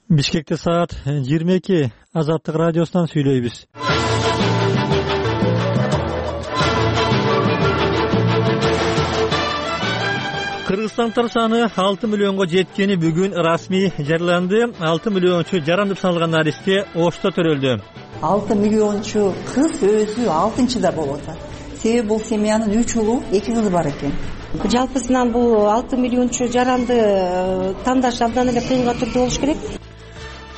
Бишкекте саат 22. Азаттык радиосунан сүйлөйбүз. Кыргызстандыктар саны 6 миллионго жеткени бүгүн расмий жарыяланды. 6 миллиончу жаран деп саналган наристе Ошто төрөлдү. 6 миллиончу кыз өзү 6-да болуп атат. Себеби бул семьянын 3 улу, 2 кызы бар экен. Жалпысынан бул 6 миллиончу жаранды тандаш абдан эле кыйынга түрдө болуш керек.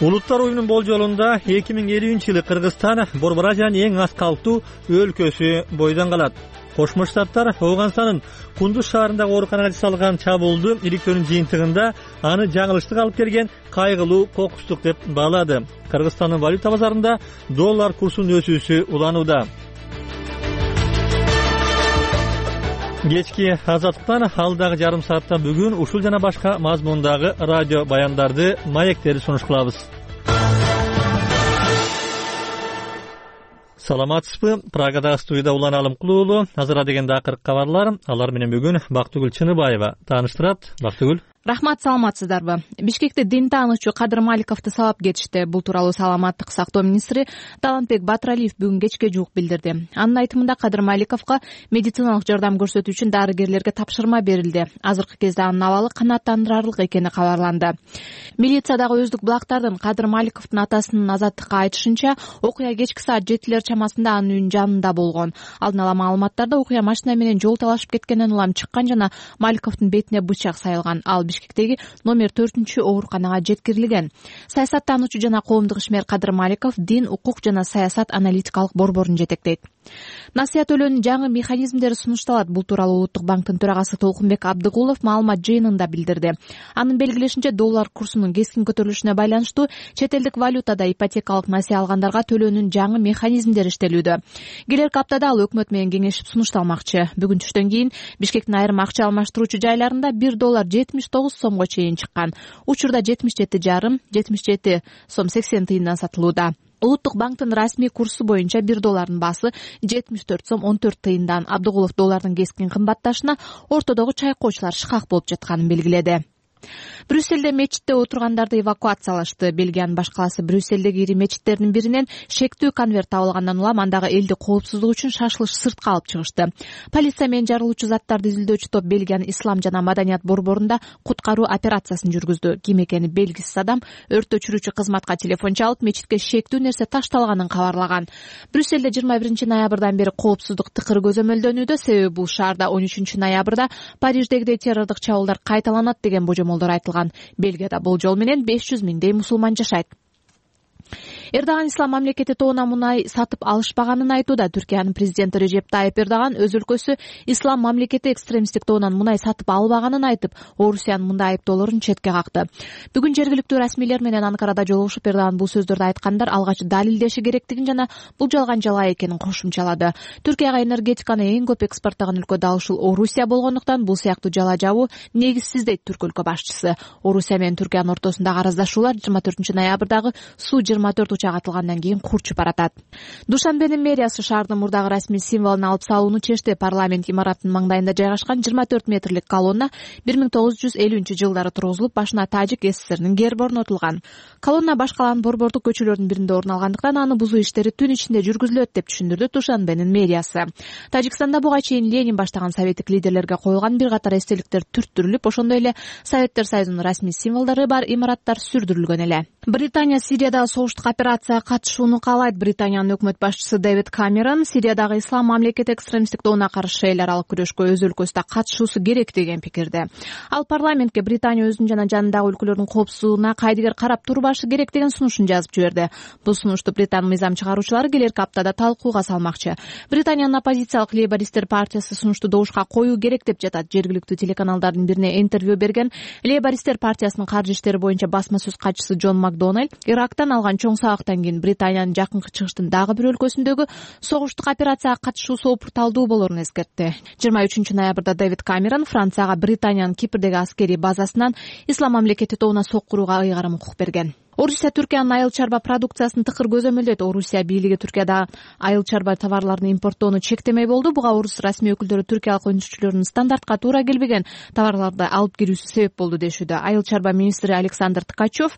Улуттар уюмунун болжолунда 2050-жылы Кыргызстан Борбор Азиянын эң аз калктуу өлкөсү бойдон калат. Кошмо Штаттар Афганстандын Кундуз шаарындагы ооруканага жасалган чабуулду иликтөөнүн жыйынтыгында аны жаңылыштык алып келген кайгылуу кокустук деп баалады. Кыргызстандын валюта базарында доллар курсунун өсүүсү уланууда. Кечки Азаттыктан алдагы жарым саатта бүгүн ушул жана башка мазмундагы радио баяндарды, маектерди сунуш кылабыз. Саламатсызбы? Прагадагы студияда Улан Алымкулуу уулу. Азыр дегенде акыркы кабарлар. Алар менен бүгүн Бактыгүл Чыныбаева тааныштырат. Бактыгүл. Рахмат, саламатсыздарбы? Бишкекте дин таануучу Кадыр Маликовду сабап кетишти. Бул тууралуу саламаттык сактоо министри Талантбек Батыралиев бүгүн кечке жуук билдирди. Анын айтымында Кадыр Маликовго медициналык жардам көрсөтүү үчүн дарыгерлерге тапшырма берилди. Азыркы кезде анын абалы канааттандырарлык экени кабарланды. Милициядагы өздүк булактардын Кадыр Маликовдун атасынын Азаттыкка айтышынча, окуя кечки саат 7 чамасында анын үйүнүн жанында болгон. Алдын ала маалыматтарда окуя машина менен жол талашып кеткенден улам чыккан жана Маликовдун бетине бычак сайылган. Ал Бишкектеги номер 4 ооруканага жеткирилген. Саясаттануучу жана коомдук ишмер Кадыр Маликов дин, укук жана саясат аналитикалык борборун жетектейт. Насыя төлөөнүн жаңы механизмдери сунушталат. Бул тууралуу Улуттук банктын төрагасы Толкунбек Абдыгулов маалымат жыйынында билдирди. Анын белгилешинче, доллар курсунун кескин көтөрүлүшүнө байланыштуу чет элдик валютада ипотекалык насыя алгандарга төлөөнүн жаңы механизмдери иштелүүдө. Келерки аптада ал өкмөт менен кеңешип сунушталмакчы. Бүгүн түштөн кийин Бишкектин айрым акча алмаштыруучу жайларында 1 доллар 79 сомго чейин чыккан. Учурда 77,77 сом 80 тыйындан сатылууда. Улуттук банктын расмий курсу боюнча 1 доллардын баасы 74 сом 14 тыйындан. Абдыгулов доллардын кескин кымбатташына ортодогу чайкоочулар шыкак болуп жатканын белгиледи. Брюссельде мечитте отургандарды эвакуациялашты. Бельгиянын баш калаасы Брюссельдеги ири мечиттердин биринен шектүү конверт табылгандан улам андагы элди коопсуздук үчүн шашылыш сыртка алып чыгышты. Полиция менен жарылуучу заттарды изилдөөчү топ Бельгиянын ислам жана маданият борборунда куткаруу операциясын жүргүздү. Ким экени белгисиз адам өрт өчүрүүчү кызматка телефон чалып, мечитке шектүү нерсе ташталганын кабарлаган. Брюссельде 21 ноябрдан бери коопсуздук тыкыр көзөмөлдөнүүдө. Себеби бул шаарда 13 ноябрда Париждегидей террордук чабуулдар кайталанат деген божомолдор айтылган. Бельгияда болжол менен 500 миңдей мусулман жашайт. Эрдоган ислам мамлекети тоона мунай сатып алышпаганын айтууда. Түркиянын президенти Режеп Тайип Эрдоган өз өлкөсү ислам мамлекети экстремисттик тоонан мунай сатып албаганын айтып, Орусиянын мындай айыптоолорун четке какты. Бүгүн жергиликтүү расмийлер менен Анкарада жолугушуп, Эрдоган бул сөздөрдү айткандар алгач далилдеши керектигин жана бул жалган жала экенин кошумчалады. Түркияга энергетиканы эң көп экспорттогон өлкө дал ушул Орусия болгондуктан бул сыяктуу жала жабуу негизсиз дейт түрк өлкө башчысы. Орусия менен Түркиянын ортосундагы араздашуулар 24 ноябрдагы Су-24 учак атылгандан кийин курчуп баратат. Душанбенин мэриясы шаардын мурдагы расмий символун алып салууну чечти. Парламент имараттын маңдайында жайгашкан 24 метрлик колонна 1950-жылдары тургузулуп, башына Тажик ССРнин герби орнотулган. Колонна баш калаанын борбордук көчөлөрдүн биринде орун алгандыктан аны бузуу иштери түн ичинде жүргүзүлөт деп түшүндүрдү Душанбенин мэриясы. Тажикстанда буга чейин Ленин баштаган советтик лидерлерге коюлган бир катар эстеликтер түрттүрүлүп, ошондой эле Советтер Союзунун расмий символдору бар имараттар сүрдүрүлгөн эле. Британия Сириядагы согуштук операцияга катышууну каалайт. Британиянын өкмөт башчысы Дэвид Камерон Сириядагы ислам мамлекети экстремисттик тоонуна каршы эл аралык күрөшкө өз өлкөсүндө катышуусу керек деген пикирде. Ал парламентке Британия өзүнүн жана жанындагы өлкөлөрдүн коопсуздугуна кайдыгер карап турбашы керек деген сунушун жазып жиберди. Бул сунушту Британ мыйзам чыгаруучулары келерки аптада талкууга салмакчы. Британиянын оппозициялык Лейбористтер партиясы сунушту добушка коюу керек деп жатат. Жергиликтүү телеканалдардын бирине интервью берген Лейбористтер партиясынын каржы иштери боюнча басма сөз катчысы Джон Макдональд Ирактан алган чоң сабактан кийин Британиянын жакынкы чыгыштын дагы бир өлкөсүндөгү согуштук операцияга катышуу соопурталдуу болоорун эскертти. 23 ноябрда Дэвид Камерон Францияга Британиянын Кипрдеги аскерий базасынан ислам мамлекети тоонуна соккурууга ыйгарым укук берген. Орусия Түркиянын айыл чарба продукциясын тыкыр көзөмөлдөйт. Орусия бийлиги Түркияда айыл чарба товарларын импорттоону чектемей болду. Буга орус расмий өкүлдөрү түркиялык өндүрүүчүлөрдүн стандартка туура келбеген товарларды алып кирүүсү себеп болду дешүүдө. Айыл чарба министри Александр Ткачев